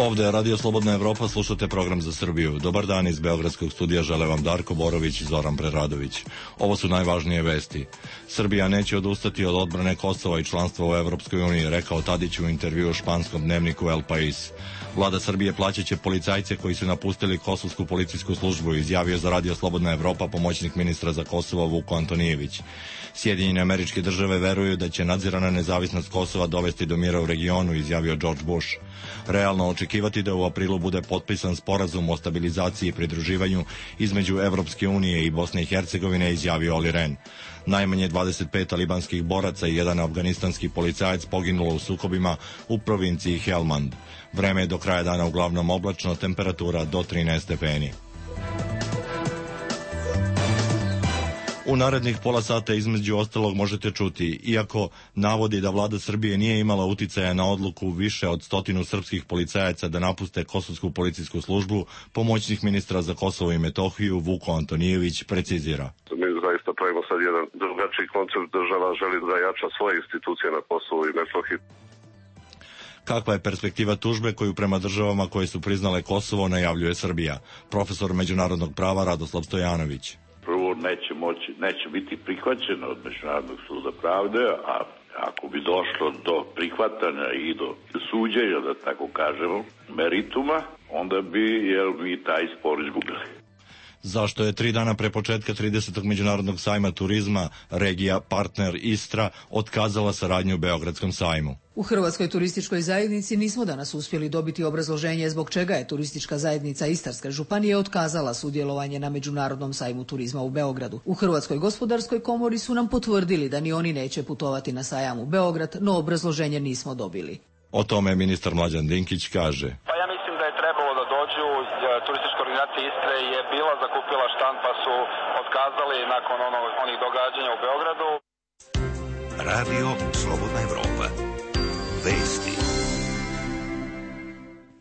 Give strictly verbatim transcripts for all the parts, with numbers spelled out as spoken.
Ovde je Radio Slobodna Evropa, slušate program za Srbiju. Dobar dan iz beogradskog studija, žele vam Darko Borović i Zoran Preradović. Ovo su najvažnije vesti. Srbija neće odustati od odbrane Kosova i članstva u Evropskoj uniji, rekao Tadić u intervju u španskom dnevniku El País. Vlada Srbije plaćaće policajce koji su napustili kosovsku policijsku službu, izjavio za Radio Slobodna Evropa pomoćnik ministra za Kosovo Vuko Antonijević. Sjedinjene Američke Države veruju da će nadzirana nezavisnost Kosova dovesti do mira u regionu, izjavio George Bush. Realno očekivati da u aprilu bude potpisan sporazum o stabilizaciji i pridruživanju između Evropske unije i Bosne i Hercegovine, izjavio Olli Rehn. Najmanje dvadeset pet talibanskih boraca i jedan afganistanski policajac poginulo u sukobima u provinciji Helmand. Vreme je do kraja dana uglavnom oblačno, temperatura do trinaest stepeni. U narednih pola sata između ostalog možete čuti, iako navodi da vlada Srbije nije imala uticaja na odluku više od stotinu srpskih policajaca da napuste kosovsku policijsku službu, pomoćnik ministra za Kosovo i Metohiju Vuko Antonijević precizira. Mi zaista pravimo sad jedan drugačiji koncept, država želi da jača svoje institucije na Kosovu i Metohiji. Kakva je perspektiva tužbe koju prema državama koje su priznale Kosovo najavljuje Srbija? Profesor međunarodnog prava Radoslav Stojanović. Prvo, neće moći, neće biti prihvaćeno od Međunarodnog suda pravde, a ako bi došlo do prihvatanja i do suđenja, da tako kažemo, merituma, onda bi jel, mi taj spor izgubili. Zašto je tri dana pre početka tridesetog međunarodnog sajma turizma regija partner Istra otkazala saradnju u Beogradskom sajmu? U Hrvatskoj turističkoj zajednici nismo danas uspjeli dobiti obrazloženje zbog čega je turistička zajednica Istarske županije otkazala sudjelovanje na Međunarodnom sajmu turizma u Beogradu. U Hrvatskoj gospodarskoj komori su nam potvrdili da ni oni neće putovati na sajam u Beograd, no obrazloženje nismo dobili. O tome ministar Mlađan Dinkić kaže. Pa ja mislim da je trebalo da dođu, turistička organizacija Istre je bila zakupila štand pa su otkazali nakon ono, onih događanja u Beogradu. Radio Slobodna Evropa. Vesti.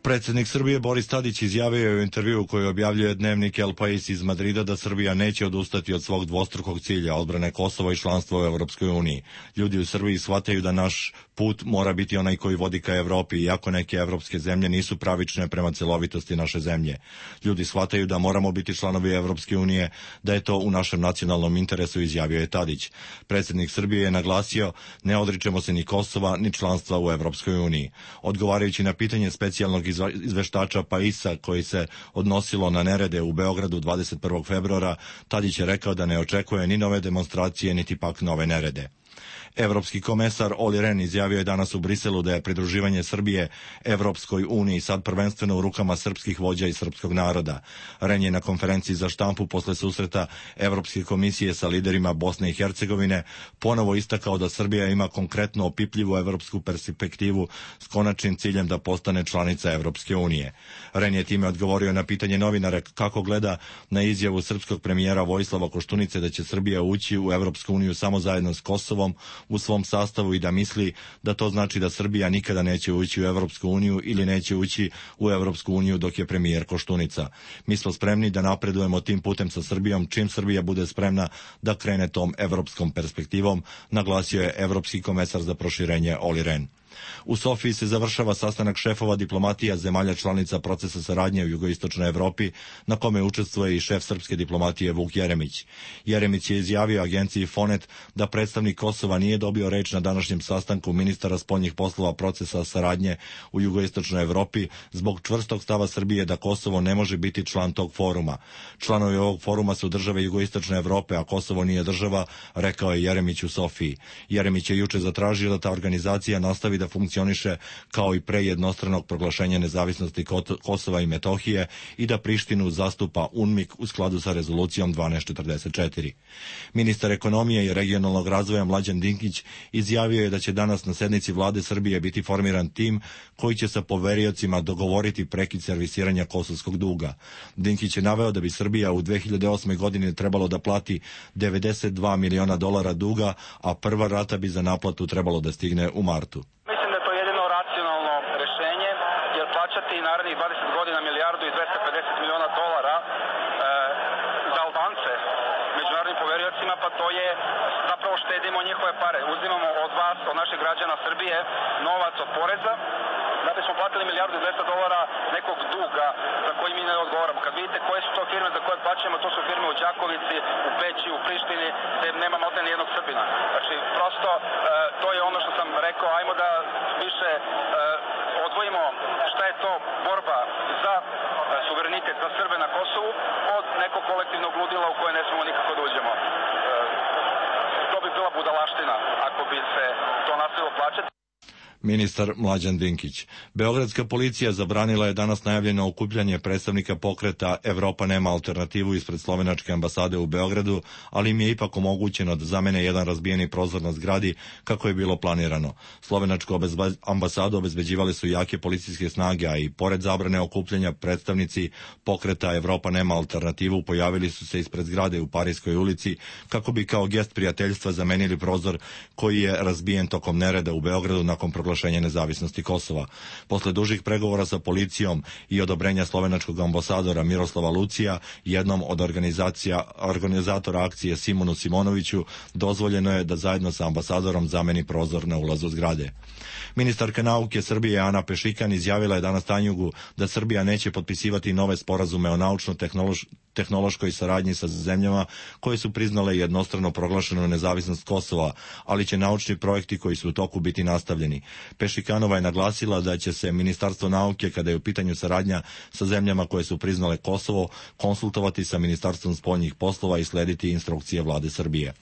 Predsjednik Srbije Boris Tadić izjavio je u intervjuu koji objavljuje dnevnik El País iz Madrida da Srbija neće odustati od svog dvostrukog cilja odbrane Kosova i članstva u Evropskoj uniji. Ljudi u Srbiji shvataju da naš put mora biti onaj koji vodi ka Evropi, iako neke evropske zemlje nisu pravične prema celovitosti naše zemlje. Ljudi shvataju da moramo biti članovi Evropske unije, da je to u našem nacionalnom interesu, izjavio je Tadić. Predsjednik Srbije je naglasio, ne odričemo se ni Kosova, ni članstva u Evropskoj uniji. Odgovarajući na pitanje specijalnog izveštača Paisa koji se odnosilo na nerede u Beogradu dvadeset prvog februara, Tadić je rekao da ne očekuje ni nove demonstracije, niti pak nove nerede. Evropski komesar Olli Rehn izjavio je danas u Briselu da je pridruživanje Srbije Evropskoj uniji sad prvenstveno u rukama srpskih vođa i srpskog naroda. Rehn je na konferenciji za štampu posle susreta Evropske komisije sa liderima Bosne i Hercegovine ponovo istakao da Srbija ima konkretno opipljivu evropsku perspektivu s konačnim ciljem da postane članica Evropske unije. Rehn je time odgovorio na pitanje novinara kako gleda na izjavu srpskog premijera Vojislava Koštunice da će Srbija ući u Evropsku uniju samo zajedno s Kosovom u svom sastavu i da misli da to znači da Srbija nikada neće ući u Evropsku uniju ili neće ući u Evropsku uniju dok je premijer Koštunica. Mi smo spremni da napredujemo tim putem sa Srbijom čim Srbija bude spremna da krene tom evropskom perspektivom, naglasio je evropski komesar za proširenje Olli Rehn. U Sofiji se završava sastanak šefova diplomatija zemalja članica procesa saradnje u jugoistočnoj Evropi, na kome učestvuje i šef srpske diplomatije Vuk Jeremić. Jeremić je izjavio agenciji Fonet da predstavnik Kosova nije dobio reč na današnjem sastanku ministara spoljnih poslova procesa saradnje u jugoistočnoj Evropi zbog čvrstog stava Srbije da Kosovo ne može biti član tog foruma. Članovi ovog foruma su države jugoistočne Evrope, a Kosovo nije država, rekao je Jeremić u Sofiji. Jeremić je juče zatražio da ta organizacija nastavi da funkcioniše kao i pre jednostranog proglašenja nezavisnosti Kosova i Metohije i da Prištinu zastupa UNMIK u skladu sa rezolucijom dvanaest četrdeset četiri. Ministar ekonomije i regionalnog razvoja Mlađan Dinkić izjavio je da će danas na sednici vlade Srbije biti formiran tim koji će sa poveriocima dogovoriti prekid servisiranja kosovskog duga. Dinkić je naveo da bi Srbija u dve hiljade osme godine trebalo da plati devedeset dva miliona dolara duga, a prva rata bi za naplatu trebalo da stigne u martu. Narednih dvadeset godina milijardu i dvesta pedeset miliona dolara e, za Albance međunarodnim poveriocima, pa to je zapravo štedimo njihove pare. Uzimamo od vas, od naših građana Srbije, novac od poreza da bismo platili milijardu i dvesta dolara nekog duga za koji mi ne odgovaramo. Kad vidite koje su to firme za koje plaćamo, to su firme u Đakovici, u Peći, u Prištini, gde nema maltene ni jednog Srbina. Znači, prosto, e, to je ono što sam rekao, ajmo da više e, odvojimo šta je to borba za e, suverenitet za Srbe na Kosovu od nekog kolektivnog ludila u koje ne smemo nikako da uđemo. E, to bi bila budalaština ako bi se to nastavilo plaćati. Ministar Mlađan Dinkić. Beogradska policija zabranila je danas najavljeno okupljanje predstavnika pokreta Evropa nema alternativu ispred slovenačke ambasade u Beogradu, ali im je ipak omogućeno da zamene jedan razbijeni prozor na zgradi kako je bilo planirano. Slovenačku ambasadu obezbeđivali su jake policijske snage, a i pored zabrane okupljanja predstavnici pokreta Evropa nema alternativu pojavili su se ispred zgrade u Parijskoj ulici kako bi kao gest prijateljstva zamenili prozor koji je razbijen tokom nereda u Beogradu nakon proglašenja nezavisnosti Kosova. Posle dužih pregovora sa policijom i odobrenja slovenačkog ambasadora Miroslava Lucija, jednom od organizacija, organizatora akcije Simonu Simonoviću, dozvoljeno je da zajedno sa ambasadorom zameni prozor na ulazu zgrade. Ministarka nauke Srbije Ana Pešikan izjavila je danas Tanjugu da Srbija neće potpisivati nove sporazume o naučno-tehnološkoj saradnji sa zemljama koje su priznale jednostrano proglašenu nezavisnost Kosova, ali će naučni projekti koji su u toku biti nastavljeni. Pešikanova je naglasila da će se Ministarstvo nauke, kada je u pitanju saradnja sa zemljama koje su priznale Kosovo, konsultovati sa Ministarstvom spoljnih poslova i slediti instrukcije vlade Srbije.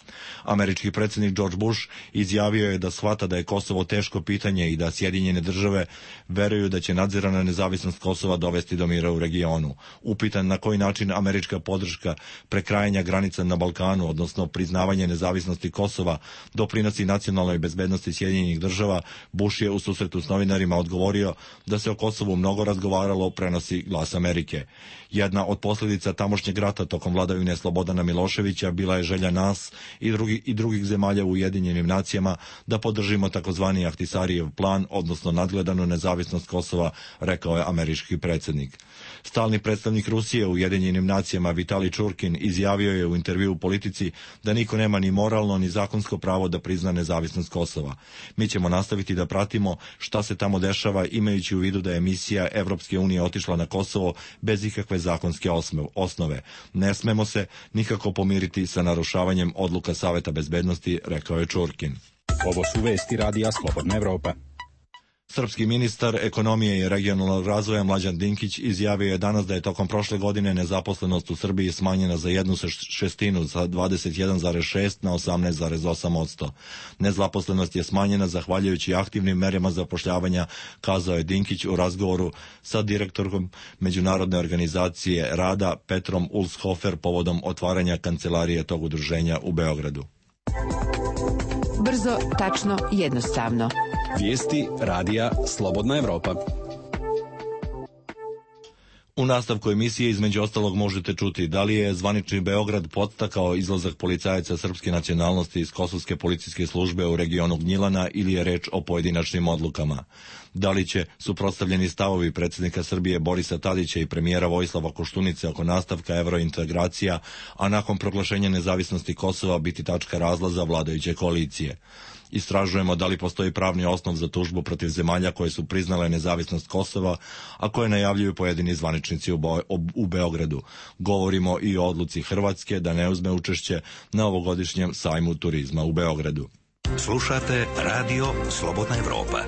Američki predsjednik George Bush izjavio je da shvata da je Kosovo teško pitanje i da Sjedinjene države veruju da će nadzirana nezavisnost Kosova dovesti do mira u regionu. Upitan na koji način američka podrška prekrajanja granica na Balkanu, odnosno priznavanje nezavisnosti Kosova, doprinosi nacionalnoj bezbednosti Sjedinjenih država, Bush je u susretu s novinarima odgovorio da se o Kosovu mnogo razgovaralo, prenosi Glas Amerike. Jedna od posljedica tamošnjeg rata tokom vladavine Slobodana Miloševića bila je želja nas i, drugi, i drugih zemalja u Ujedinjenim nacijama da podržimo takozvani Ahtisarijev plan, odnosno nadgledanu nezavisnost Kosova, rekao je američki predsjednik. Stalni predstavnik Rusije u Ujedinjenim nacijama Vitali Čurkin izjavio je u intervju u Politici da niko nema ni moralno ni zakonsko pravo da prizna nezavisnost Kosova. Mi ćemo nastaviti da pratimo šta se tamo dešava, imajući u vidu da je misija Evropske unije otišla na Kosovo bez ikakve zakonske osnove. Ne smemo se nikako pomiriti sa narušavanjem odluka Saveta bezbednosti, rekao je Čurkin. Ovo su vesti Radija Slobodna Evropa. Srpski ministar ekonomije i regionalnog razvoja Mlađan Dinkić izjavio je danas da je tokom prošle godine nezaposlenost u Srbiji smanjena za jednu šestinu, sa dvadeset jedan zarez šest na osamnaest zarez osam posto. Nezaposlenost je smanjena zahvaljujući aktivnim merama zapošljavanja, kazao je Dinkić u razgovoru sa direktorom Međunarodne organizacije rada Petrom Ulshofer povodom otvaranja kancelarije tog udruženja u Beogradu. Brzo, tačno, jednostavno. Vijesti Radija Slobodna Evropa. U nastavku emisije između ostalog možete čuti da li je zvanični Beograd podstakao izlazak policajaca srpske nacionalnosti iz kosovske policijske službe u regionu Gnjilana ili je reč o pojedinačnim odlukama. Da li će suprotstavljeni stavovi predsjednika Srbije Borisa Tadića i premijera Vojislava Koštunice oko nastavka evrointegracija, a nakon proglašenja nezavisnosti Kosova biti tačka razlaza vladajuće koalicije. Istražujemo da li postoji pravni osnov za tužbu protiv zemalja koje su priznale nezavisnost Kosova, a koje najavljuju pojedini zvaničnici u, Bo- u Beogradu. Govorimo i o odluci Hrvatske da ne uzme učešće na ovogodišnjem sajmu turizma u Beogradu. Slušate Radio Slobodna Evropa.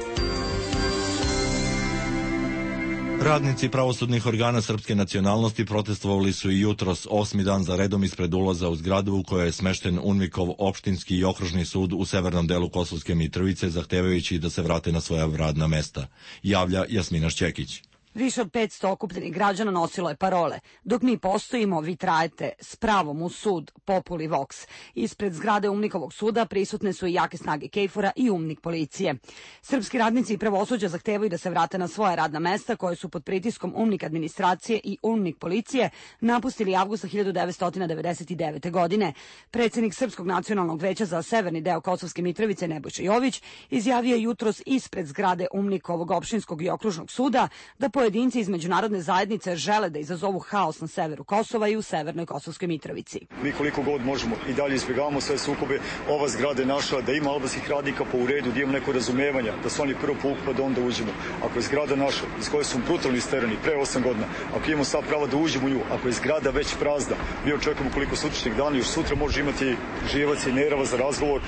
Radnici pravosudnih organa srpske nacionalnosti protestovali su i jutros osmi dan za redom ispred ulaza u zgradu u kojoj je smešten UNMIK-ov opštinski i okružni sud u severnom delu Kosovske Mitrovice, zahtevajući da se vrate na svoja radna mesta. Javlja Jasmina Šćekić. Više od petsto okupljenih građana nosilo je parole. Dok mi postojimo, vi trajete s pravom u sud, Populi Vox. Ispred zgrade UNMIK-ovog suda prisutne su i jake snage KFOR-a i UNMIK policije. Srpski radnici i pravosuđa zahtevaju da se vrate na svoja radna mesta koje su pod pritiskom UNMIK administracije i UNMIK policije napustili avgusta hiljadu devetsto devedeset devete. godine. Predsjednik Srpskog nacionalnog veća za severni deo Kosovske Mitrovice Nebojša Jović izjavio jutros ispred zgrade UNMIK-ovog opštinskog i okružnog suda da pojedinci iz međunarodne zajednice žele da izazovu haos na severu Kosova i u severnoj Kosovskoj Mitrovici. Mi koliko god možemo i dalje izbjegavamo sve sukobe. Ova zgrada je naša, da ima albanskih radnika po uredu, da imamo neko razumevanja, da su oni prvo povuku pa da onda uđemo. Ako je zgrada naša, iz koje su brutalno isterani pre osam godina, ako imamo sad pravo da uđemo u nju, ako je zgrada već prazna, mi očekujemo koliko sutrašnjeg dana, još sutra može imati Žijevac i Nerava za razgovor.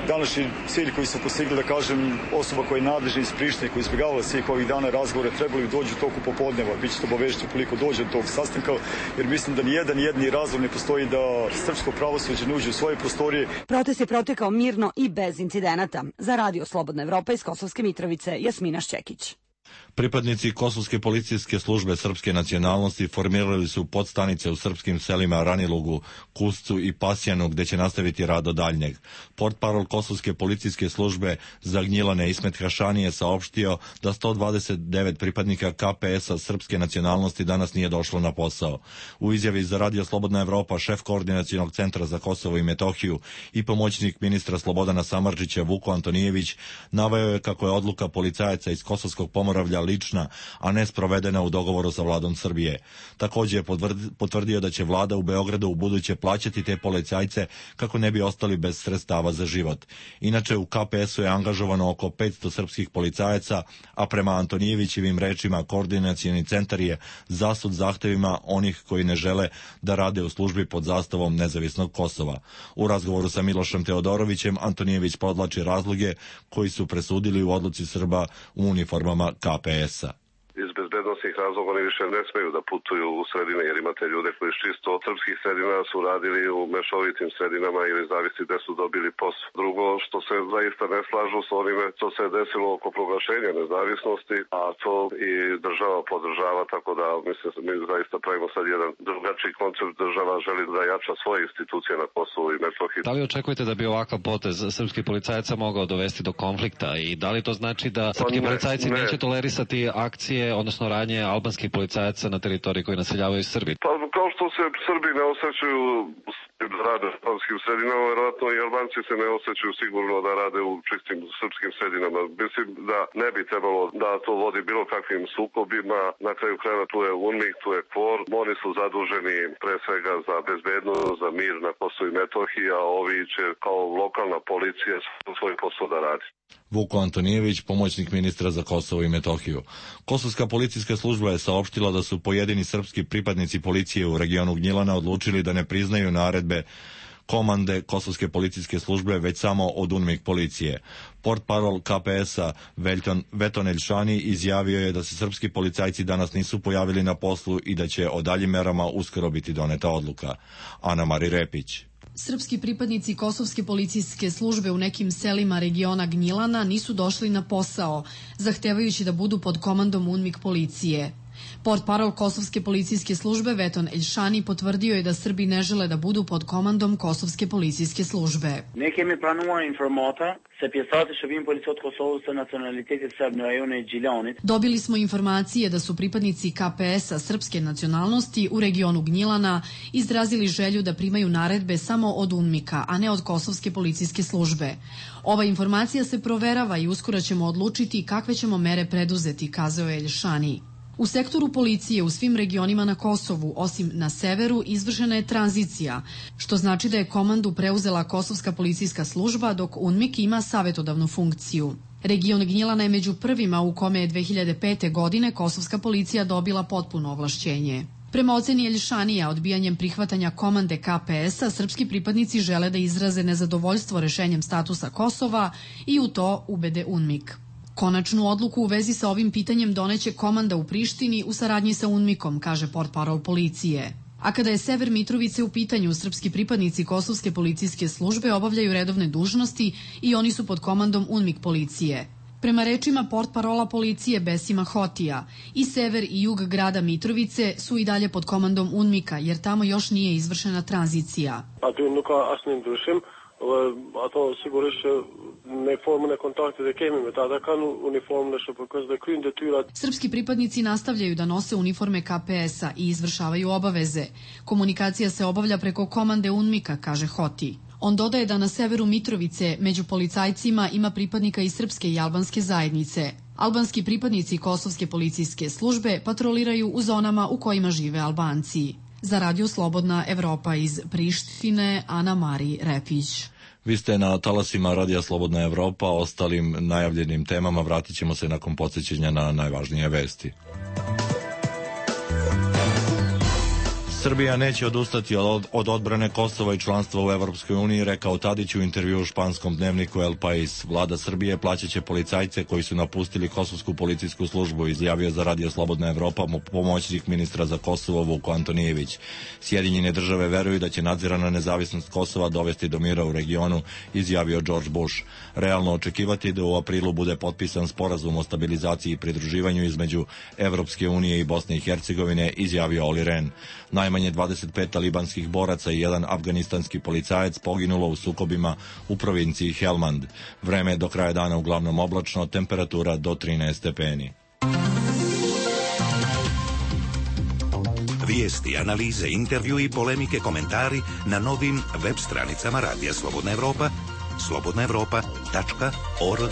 Današnji cilj koji su postigli, da kažem, osoba koja je nadležna iz Prištine, koja je izbjegavala svih ovih dana razgovora, trebali bi dođu u toku popodneva. Biće to obavešteno koliko dođe do tog sastanka, jer mislim da nijedan jedni razlog ne postoji da srpsko pravosuđe ne uđe u svoje prostorije. Protest je protekao mirno i bez incidenata. Za Radio Slobodna Evropa iz Kosovske Mitrovice, Jasmina Šćekić. Pripadnici Kosovske policijske službe srpske nacionalnosti formirali su podstanice u srpskim selima Ranilugu, Kuscu i Pasjanu, gde će nastaviti rad do daljnjeg. Portparol Kosovske policijske službe Zagnjilane Ismet Hašani je saopštio da sto dvadeset devet pripadnika K P S-a srpske nacionalnosti danas nije došlo na posao. U izjavi za Radio Slobodna Evropa šef koordinacionog centra za Kosovo i Metohiju i pomoćnik ministra Slobodana Samardžića Vuko Antonijević naveo je kako je odluka policajaca iz Kosovskog Pomoravlja lična, a ne sprovedena u dogovoru sa vladom Srbije. Također je potvrdio da će vlada u Beogradu u buduće plaćati te policajce kako ne bi ostali bez sredstava za život. Inače, u K P S-u je angažovano oko petsto srpskih policajaca, a prema Antonijevićevim rečima koordinacioni centar je zasud zahtevima onih koji ne žele da rade u službi pod zastavom nezavisnog Kosova. U razgovoru sa Milošem Teodorovićem Antonijević podlači razloge koji su presudili u odluci Srba u uniformama K P S-a. Iz bezbednostnih razloga oni više ne smeju da putuju u sredine, jer imate ljude koji iz čisto srpskih sredina su radili u mešovitim sredinama ili zavisi gde su dobili posao. Drugo, što se zaista ne slažu s onime što se desilo oko proglašenja nezavisnosti, a to i država podržava, tako da mislim mi zaista pravimo sad jedan drugačiji koncept. Država želi da jača svoje institucije na Kosovu i Metohiji. Da li očekujete da bi ovakav potez srpskih policajaca mogao dovesti do konflikta i da li to znači da srpski policajci ne. neće tolerisati akcije, odnosno radnje albanskih policajaca na teritoriji koji naseljavaju Srbi? Pa kao što se Srbi ne osjećaju da rade u albanskim sredinama, vjerojatno i Albanci se ne osjećaju sigurno da rade u čistim srpskim sredinama. Mislim da ne bi trebalo da to vodi bilo kakvim sukobima. Na kraju krajeva tu je UNMIK, tu je KFOR. Oni su zaduženi pre svega za bezbednost, za mir na Kosovu i Metohiji, a ovi će kao lokalna policija svoj posao da radi. Vuko Antonijević, pomoćnik ministra za Kosovo i Metohiju. Kosovska policijska služba je saopštila da su pojedini srpski pripadnici policije u regionu Gnjilana odlučili da ne priznaju naredbe komande Kosovske policijske službe, već samo od UNMIK policije. Portparol K P S-a Veton Elšani izjavio je da se srpski policajci danas nisu pojavili na poslu i da će o daljim merama uskoro biti doneta odluka. Ana Mari Repić. Srpski pripadnici Kosovske policijske službe u nekim selima regiona Gnjilana nisu došli na posao, zahtevajući da budu pod komandom UNMIK policije. Portparol Kosovske policijske službe Veton Elšani potvrdio je da Srbi ne žele da budu pod komandom Kosovske policijske službe. Ne kemi pranuar informata se pjesati shërbim policisë të Kosovës të nacionalitetit serb në rajonin e Gjilanit. Dobili smo informacije da su pripadnici K P S-a srpske nacionalnosti u regionu Gnjilana izrazili želju da primaju naredbe samo od UNMIK-a, a ne od Kosovske policijske službe. Ova informacija se proverava i uskoro ćemo odlučiti kakve ćemo mere preduzeti, kazao je Elšani. U sektoru policije u svim regionima na Kosovu, osim na severu, izvršena je tranzicija, što znači da je komandu preuzela Kosovska policijska služba, dok UNMIK ima savjetodavnu funkciju. Region Gnjilana je među prvima u kome je dve hiljade pete. godine Kosovska policija dobila potpuno ovlašćenje. Prema oceni Elšanija, odbijanjem prihvatanja komande K P S-a, srpski pripadnici žele da izraze nezadovoljstvo rešenjem statusa Kosova i u to ubede UNMIK. Konačnu odluku u vezi sa ovim pitanjem doneće komanda u Prištini u saradnji sa UNMIK-om, kaže portparol policije. A kada je sever Mitrovice u pitanju, srpski pripadnici Kosovske policijske službe obavljaju redovne dužnosti i oni su pod komandom UNMIK policije. Prema rečima portparola policije Besima Hotija, i sever i jug grada Mitrovice su i dalje pod komandom UNMIK-a, jer tamo još nije izvršena tranzicija. Aty nuk ka asnjë ndryshim, ato sigurisht që ne formën e kontaktit e kemi me ta, ata kanë uniformën e S P K-s dhe kryjnë detyrat. Srpski pripadnici nastavljaju da nose uniforme K P S-a i izvršavaju obaveze. Komunikacija se obavlja preko komande UNMIK-a, kaže Hoti. On dodaje da na severu Mitrovice među policajcima ima pripadnika i srpske i albanske zajednice. Albanski pripadnici kosovske policijske službe patroliraju u zonama u kojima žive Albanci. Za Radio Slobodna Evropa iz Prištine, Ana Mari Repić. Vi ste na talasima Radija Slobodna Evropa, ostalim najavljenim temama vratit ćemo se nakon podsjećanja na najvažnije vesti. Srbija neće odustati od, od odbrane Kosova i članstva u Evropskoj uniji, rekao Tadić u intervju u španskom dnevniku El País. Vlada Srbije plaćaće policajce koji su napustili kosovsku policijsku službu, izjavio za Radio Slobodna Evropa pomoćnik ministra za Kosovo Vuko Antonijević. Sjedinjene države veruju da će nadzirana nezavisnost Kosova dovesti do mira u regionu, izjavio George Bush. Realno očekivati da u aprilu bude potpisan sporazum o stabilizaciji i pridruživanju između Evropske unije i Bosne i Hercegovine, izjavio Olli Rehn. Najmanje dvadeset pet talibanskih boraca i jedan afganistanski policajac poginulo u sukobima u provinciji Helmand. Vreme je do kraja dana uglavnom oblačno, temperatura do trinaest stepeni. Vijesti, analize, intervju i polemike, komentari na novim web stranicama Radija Slobodna Evropa, slobodna evropa tačka org.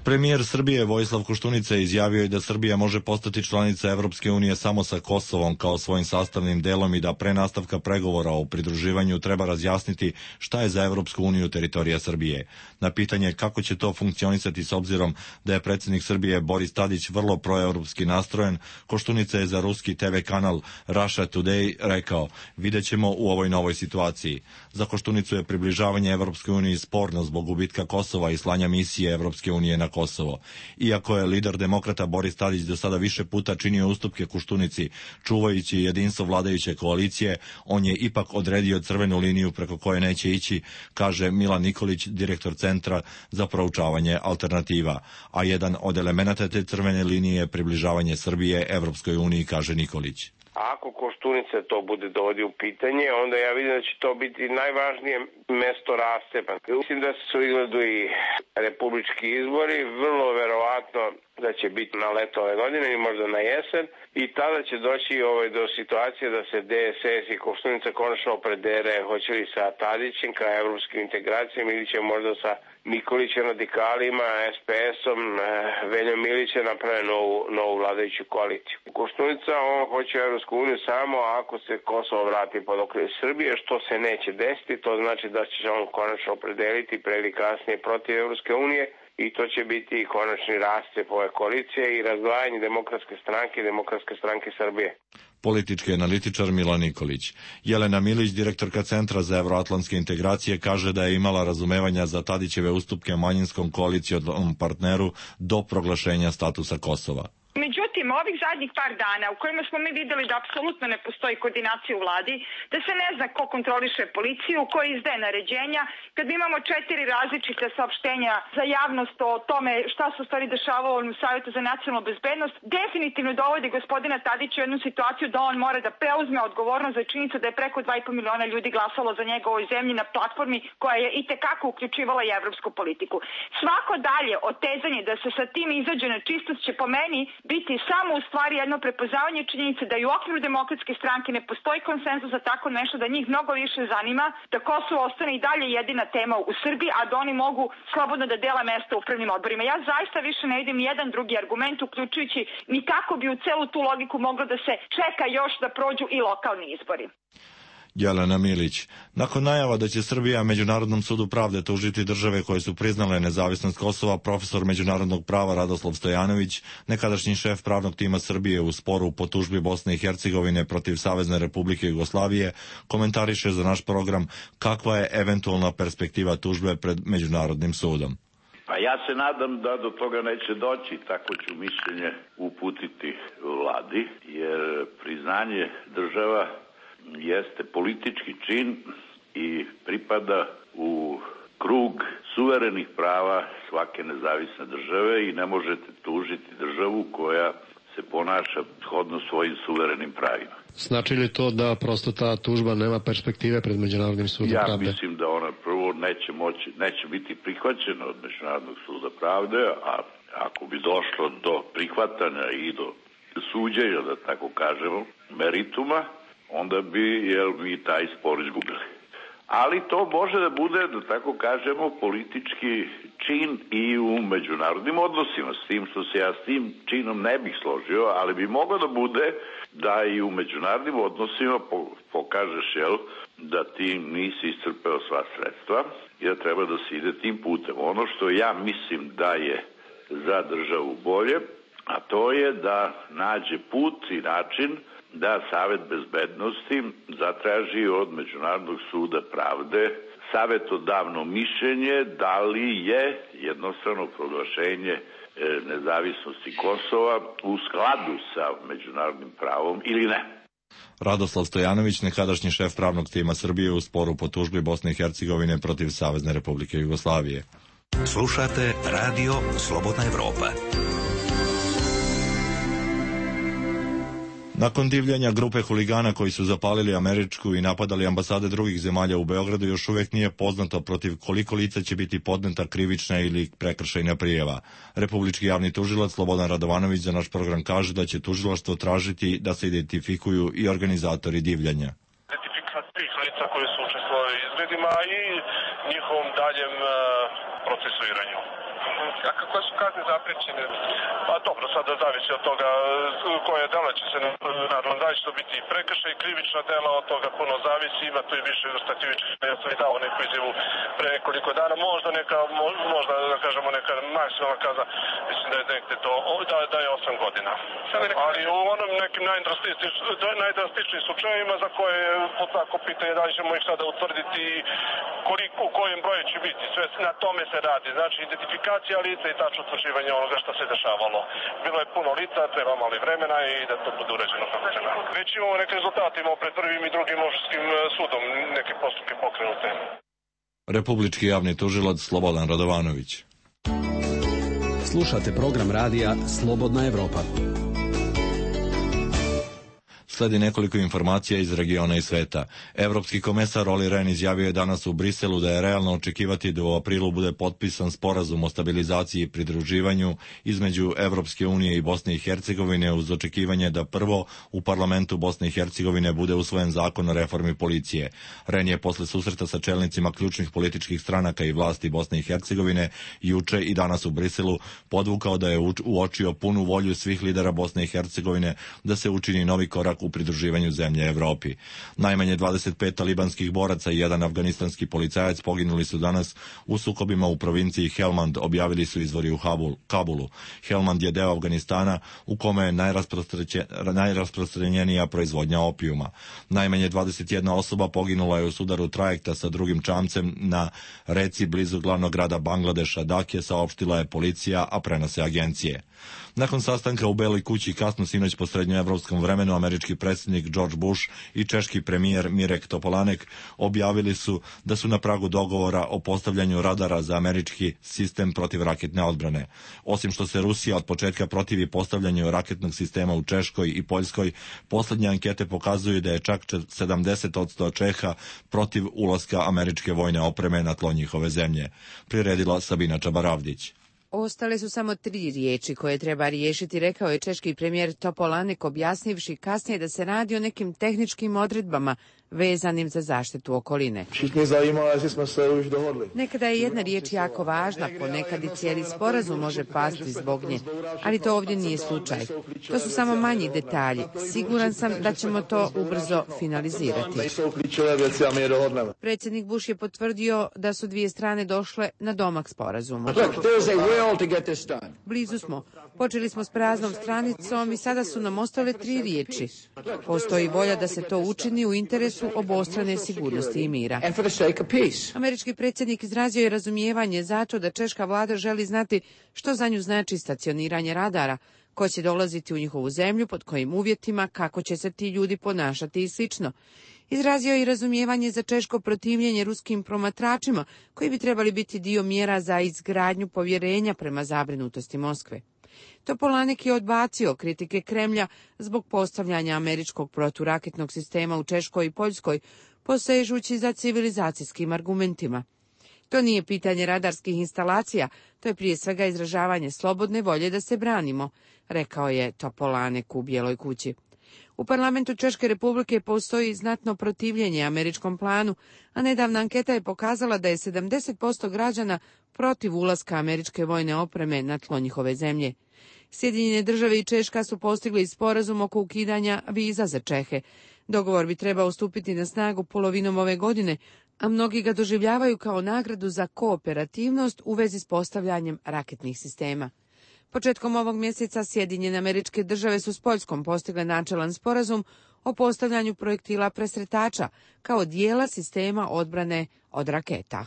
Premijer Srbije Vojislav Koštunica izjavio je da Srbija može postati članica Evropske unije samo sa Kosovom kao svojim sastavnim delom i da pre nastavka pregovora o pridruživanju treba razjasniti šta je za Evropsku uniju teritorija Srbije. Na pitanje kako će to funkcionisati s obzirom da je predsjednik Srbije Boris Tadić vrlo proevropski nastrojen, Koštunica je za ruski te ve kanal Russia Today rekao: vidjet ćemo u ovoj novoj situaciji. Za Koštunicu je približavanje Evropskoj uniji sporno zbog gubitka Kosova i slanja misije Evropske unije na Kosovo. Iako je lider demokrata Boris Tadić do sada više puta činio ustupke Koštunici, čuvajući jedinstvo vladajuće koalicije, on je ipak odredio crvenu liniju preko koje neće ići, kaže Milan Nikolić, direktor Centra za proučavanje alternativa. A jedan od elemenata te crvene linije je približavanje Srbije Evropskoj uniji, kaže Nikolić. Ako Koštunica to bude dovodi u pitanje, onda ja vidim da će to biti najvažnije mesto rastepa. Mislim da su izgledu i republički izbori, vrlo verovatno da će biti na leto ove godine ili možda na jesen, i tada će doći ovaj, do situacije da se de es es i Koštunica konačno opredere, hoće li sa Tadićem ka evropskim integracijama ili će možda sa Nikolićem, radikalima, es pe esom, Veljom Milićem naprave novu, novu vladajuću koaliciju. Koštunica, on hoće Evropsku uniju samo ako se Kosovo vrati pod okrilje Srbije, što se neće desiti, to znači da će on konačno opredeliti pre ili kasnije protiv Evropske unije, i to će biti i konačni rascep ove koalicije i razdvajanje Demokratske stranke i Demokratske stranke Srbije. Politički analitičar Milan Nikolić. Jelena Milić, direktorka Centra za evroatlantske integracije, kaže da je imala razumevanja za Tadićeve ustupke manjinskom koalicijonom partneru do proglašenja statusa Kosova. Međutim, ovih zadnjih par dana u kojima smo mi videli da apsolutno ne postoji koordinacija u vladi, da se ne zna ko kontroliše policiju, ko izdaje naređenja, kad imamo četiri različite saopštenja za javnost o tome šta se u stvari dešavalo u Savjetu za nacionalnu bezbednost, definitivno dovodi gospodina Tadića u jednu situaciju da on mora da preuzme odgovornost za činjenicu da je preko dva i po miliona ljudi glasalo za njega u ovoj zemlji na platformi koja je i tekako uključivala i evropsku politiku. Svako dalje otezanje da se sa tim izađe na čistost će po meni biti samo u stvari jedno prepoznavanje činjenice da i u okviru Demokratske stranke ne postoji konsenzus za tako nešto, da njih mnogo više zanima da Kosovo ostane i dalje jedina tema u Srbiji, a da oni mogu slobodno da dela mesta u upravnim odborima. Ja zaista više ne vidim jedan drugi argument, uključujući ni kako bi u celu tu logiku moglo da se čeka još da prođu i lokalni izbori. Jelena Milić. Nakon najava da će Srbija Međunarodnom sudu pravde tužiti države koje su priznale nezavisnost Kosova, profesor međunarodnog prava Radoslav Stojanović, nekadašnji šef pravnog tima Srbije u sporu po tužbi Bosne i Hercegovine protiv Savezne Republike Jugoslavije, komentariše za naš program kakva je eventualna perspektiva tužbe pred Međunarodnim sudom. Pa ja se nadam da do toga neće doći, tako ću mišljenje uputiti vladi, jer priznanje država jeste politički čin i pripada u krug suverenih prava svake nezavisne države i ne možete tužiti državu koja se ponaša shodno svojim suverenim pravima. Znači li to da prosto ta tužba nema perspektive pred Međunarodnim sudom ja pravde? Ja mislim da ona prvo neće moći, neće biti prihvaćena od Međunarodnog suda pravde, a ako bi došlo do prihvatanja i do suđenja, da tako kažemo, merituma, onda bi jel, mi taj spor izgubili. ali to može da bude, da tako kažemo, politički čin i u međunarodnim odnosima, s tim što se ja s tim činom ne bih složio, ali bi moglo da bude da i u međunarodnim odnosima pokažeš, jel, da ti nisi iscrpeo sva sredstva i da treba da se ide tim putem. Ono što ja mislim da je za državu bolje, a to je da nađe put i način da Savet bezbednosti zatraži od Međunarodnog suda pravde savetodavno mišljenje da li je jednostavno proglašenje nezavisnosti Kosova u skladu sa međunarodnim pravom ili ne. Radoslav Stojanović, nekadašnji šef pravnog tima Srbije u sporu po tužbi Bosne i Hercegovine protiv Savezne Republike Jugoslavije. Slušate Radio Slobodna Evropa. Nakon divljanja grupe huligana koji su zapalili američku i napadali ambasade drugih zemalja u Beogradu, još uvijek nije poznato protiv koliko lica će biti podneta krivična ili prekršajna prijava. Republički javni tužilac Slobodan Radovanović za naš program kaže da će tužilaštvo tražiti da se identifikuju i organizatori divljanja. Identifikacija tih lica koji su učestvovali u izgledima i njihovom daljem procesuiranju. A koje su kazne zaprećene? Pa dobro, sada zavisi od toga koje dela će se, naravno, da će to biti prekršaj i krivična dela, od toga puno zavisi, ima tu i više vrsta krivičnih. Ja sam i dao neku izjavu pre nekoliko dana, možda neka, možda da kažemo neka maksimalna kazna, mislim da je nekde to, da, da je osam godina. Ali u onom nekim najdrastičnim slučajevima za koje je tako pitanje da li ćemo ih sada utvrditi koliko, u kojem broju će biti, sve na tome se radi, znači identifikacija lica i tačno utvrđivanje onoga što se dešavalo. Bilo je puno lica, treba malo vremena i da to bude uređeno kako treba. Već imamo neke rezultate, imamo pred prvim i drugim opštinskim sudom neke postupke pokrenute. Republički javni tužilac Slobodan Radovanović. Slušate program radija Slobodna Evropa. Sledi nekoliko informacija iz regiona i sveta. Evropski komesar Olli Rehn izjavio je danas u Briselu da je realno očekivati da u aprilu bude potpisan sporazum o stabilizaciji i pridruživanju između Evropske unije i Bosne i Hercegovine uz očekivanje da prvo u parlamentu Bosne i Hercegovine bude usvojen zakon o reformi policije. Rehn je posle susreta sa čelnicima ključnih političkih stranaka i vlasti Bosne i Hercegovine juče i danas u Briselu podvukao da je uočio punu volju svih lidera Bosne i Hercegovine da se učini novi korak u pridruživanju zemlje Evropi. Najmanje dvadeset pet talibanskih boraca i jedan afganistanski policajac poginuli su danas u sukobima u provinciji Helmand, objavili su izvori u Kabulu. Helmand je deo Afganistana u kome je najrasprostranjenija proizvodnja opijuma. Najmanje dvadeset jedna osoba poginula je u sudaru trajekta sa drugim čamcem na reci blizu glavnog grada Bangladeša, Dhake, saopštila je policija, a prenose agencije. Nakon sastanka u Beloj kući kasno sinoć po srednjoevropskom vremenu, američki predsjednik George Bush i češki premijer Mirek Topolanek objavili su da su na pragu dogovora o postavljanju radara za američki sistem protivraketne odbrane. Osim što se Rusija od početka protivi postavljanju raketnog sistema u Češkoj i Poljskoj, posljednje ankete pokazuju da je čak sedamdeset posto Čeha protiv ulaska američke vojne opreme na tlo njihove zemlje. Priredila Sabina Čabaravdić. Ostale su samo tri riječi koje treba riješiti, rekao je češki premijer Topolanek, objasnivši kasnije da se radi o nekim tehničkim odredbama vezanim za zaštitu okoline. Nekada je jedna riječ jako važna, ponekad i cijeli sporazum može pasti zbog nje, ali to ovdje nije slučaj. To su samo manji detalji. Siguran sam da ćemo to ubrzo finalizirati. Predsjednik Bush je potvrdio da su dvije strane došle na domak sporazuma. Blizu smo. Počeli smo s praznom stranicom i sada su nam ostale tri riječi. Postoji volja da se to učini u interesu obostrane sigurnosti i mira. Američki predsjednik izrazio je razumijevanje zato da češka vlada želi znati što za nju znači stacioniranje radara, ko će dolaziti u njihovu zemlju, pod kojim uvjetima, kako će se ti ljudi ponašati i slično. Izrazio je i razumijevanje za češko protivljenje ruskim promatračima, koji bi trebali biti dio mjera za izgradnju povjerenja prema zabrinutosti Moskve. Topolanek je odbacio kritike Kremlja zbog postavljanja američkog proturaketnog sistema u Češkoj i Poljskoj, posežući za civilizacijskim argumentima. To nije pitanje radarskih instalacija, to je prije svega izražavanje slobodne volje da se branimo, rekao je Topolanek u Bijeloj kući. U parlamentu Češke republike postoji znatno protivljenje američkom planu, a nedavna anketa je pokazala da je sedamdeset posto građana protiv ulaska američke vojne opreme na tlo njihove zemlje. Sjedinjene države i Češka su postigli sporazum oko ukidanja viza za Čehe. Dogovor bi trebao stupiti na snagu polovinom ove godine, a mnogi ga doživljavaju kao nagradu za kooperativnost u vezi s postavljanjem raketnih sistema. Početkom ovog mjeseca Sjedinjene Američke Države su s Poljskom postigle načelan sporazum o postavljanju projektila presretača kao dijela sistema odbrane od raketa.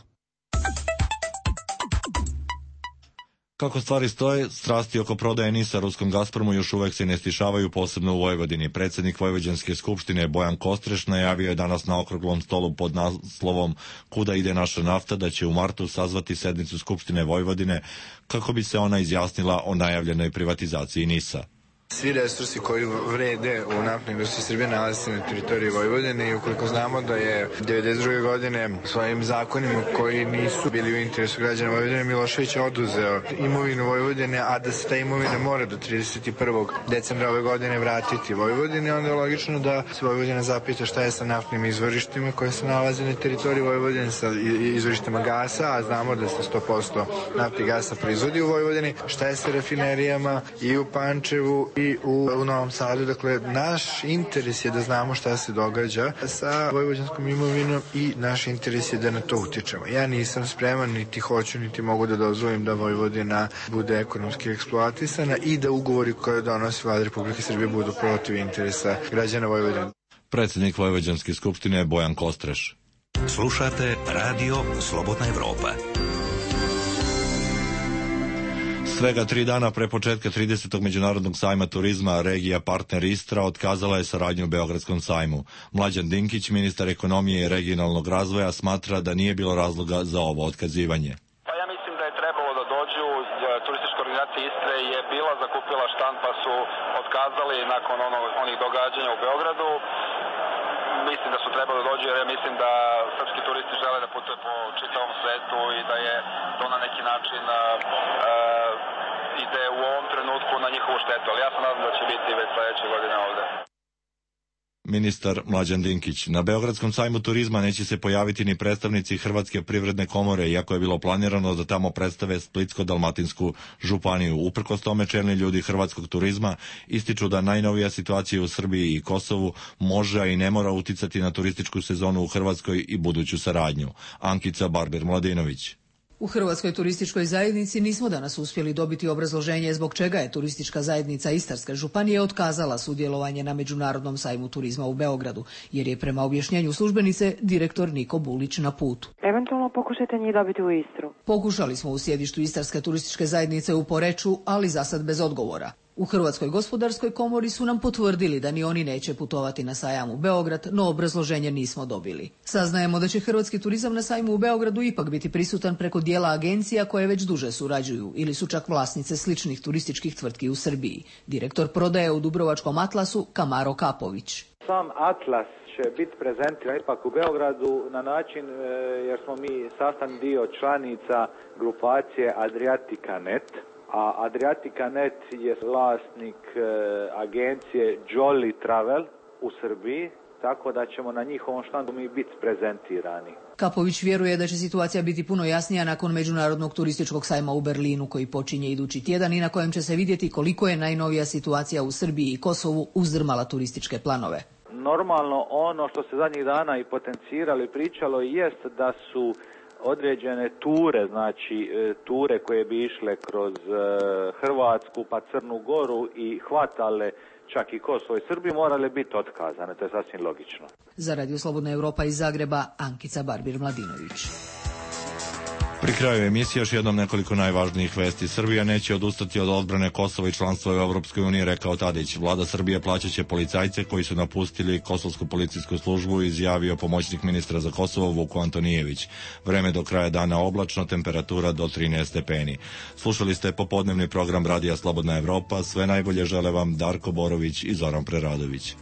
Kako stvari stoje, strasti oko prodaje NIS-a ruskom Gazpromu još uvek se ne stišavaju, posebno u Vojvodini. Predsjednik Vojvođanske skupštine Bojan Kostreš najavio je danas na okruglom stolu pod naslovom Kuda ide naša nafta da će u martu sazvati sednicu Skupštine Vojvodine kako bi se ona izjasnila o najavljenoj privatizaciji NIS-a. Svi resursi koji vrede u naftnoj industriji Srbije nalaze se na teritoriji Vojvodine i ukoliko znamo da je devedeset druge godine svojim zakonima koji nisu bili u interesu građana Vojvodine Milošević oduzeo imovinu Vojvodine, a da se ta imovina mora do trideset prvog decembra ove godine vratiti Vojvodine, onda je logično da se Vojvodina zapita šta je sa naftnim izvorištima koje se nalaze na teritoriji Vojvodine, sa izvorištima gasa, a znamo da se sto posto nafte i gasa proizvodi u Vojvodini, šta je sa rafinerijama i u Pančevu i u, u Novom Sadu. Dakle, naš interes je da znamo šta se događa sa vojvođanskom imovinom i naš interes je da na to utičemo. Ja nisam spreman, niti hoću, niti mogu da dozvolim da Vojvodina bude ekonomski eksploatisana i da ugovori koje donosi Vlada Republike Srbije budu protiv interesa građana Vojvodine. Predsjednik Vojvođanske skupštine je Bojan Kostreš. Slušate Radio Slobodna Evropa. Svega tri dana pre početka tridesetog međunarodnog sajma turizma, regija partner Istra otkazala je saradnju u Beogradskom sajmu. Mlađan Dinkić, ministar ekonomije i regionalnog razvoja, smatra da nije bilo razloga za ovo otkazivanje. Pa ja mislim da je trebalo da dođu, turistička organizacija Istre je bila zakupila štant pa su otkazali nakon ono, onih događanja u Beogradu. Mislim da su trebali da dođu jer ja mislim da srpski turisti žele da putuje po čitavom svetu i da je to na neki način uh, ide u ovom trenutku na njihovu štetu, ali ja sam nadam da će biti već sledeće godine ovde. Ministar Mlađan Dinkić. Na Beogradskom sajmu turizma neće se pojaviti ni predstavnici Hrvatske privredne komore, iako je bilo planirano da tamo predstave Splitsko-dalmatinsku županiju. Uprkos tome, čelni ljudi hrvatskog turizma ističu da najnovija situacija u Srbiji i Kosovu može, a i ne mora uticati na turističku sezonu u Hrvatskoj i buduću saradnju. Ankica Barber-Mladinović. U Hrvatskoj turističkoj zajednici nismo danas uspjeli dobiti obrazloženje zbog čega je turistička zajednica Istarske županije otkazala sudjelovanje na Međunarodnom sajmu turizma u Beogradu, jer je prema objašnjenju službenice direktor Niko Bulić na putu. Eventualno pokušajte njih dobiti u Istru. Pokušali smo u sjedištu Istarske turističke zajednice u Poreču, ali za sad bez odgovora. U Hrvatskoj gospodarskoj komori su nam potvrdili da ni oni neće putovati na sajam u Beograd, no obrazloženje nismo dobili. Saznajemo da će hrvatski turizam na sajmu u Beogradu ipak biti prisutan preko dijela agencija koje već duže surađuju ili su čak vlasnice sličnih turističkih tvrtki u Srbiji. Direktor prodaje u Dubrovačkom Atlasu Kamaro Kapović. Sam Atlas će biti prezentiran ipak u Beogradu na način jer smo mi sastavni dio članica grupacije Adriatica punto net. A Adriatica punto net je vlasnik e, agencije Jolly Travel u Srbiji, tako da ćemo na njihovom štandu mi biti prezentirani. Kapović vjeruje da će situacija biti puno jasnija nakon Međunarodnog turističkog sajma u Berlinu koji počinje idući tjedan i na kojem će se vidjeti koliko je najnovija situacija u Srbiji i Kosovu uzdrmala turističke planove. Normalno ono što se zadnjih dana i potenciralo i pričalo jest da su određene ture, znači ture koje bi išle kroz Hrvatsku pa Crnu Goru i hvatale čak i Kosovo i Srbiju morale biti otkazane, to je sasvim logično. Za Radio Slobodna Evropa iz Zagreba, Ankica Barbir-Mladinović. Pri kraju emisije još jednom nekoliko najvažnijih vesti. Srbija neće odustati od odbrane Kosova i članstva u Evropskoj uniji, rekao Tadić. Vlada Srbije plaćaće policajce koji su napustili Kosovsku policijsku službu, izjavio pomoćnik ministra za Kosovo Vuko Antonijević. Vreme do kraja dana oblačno, temperatura do trinaest stepeni. Slušali ste popodnevni program Radija Slobodna Evropa. Sve najbolje žele vam Darko Borović i Zoran Preradović.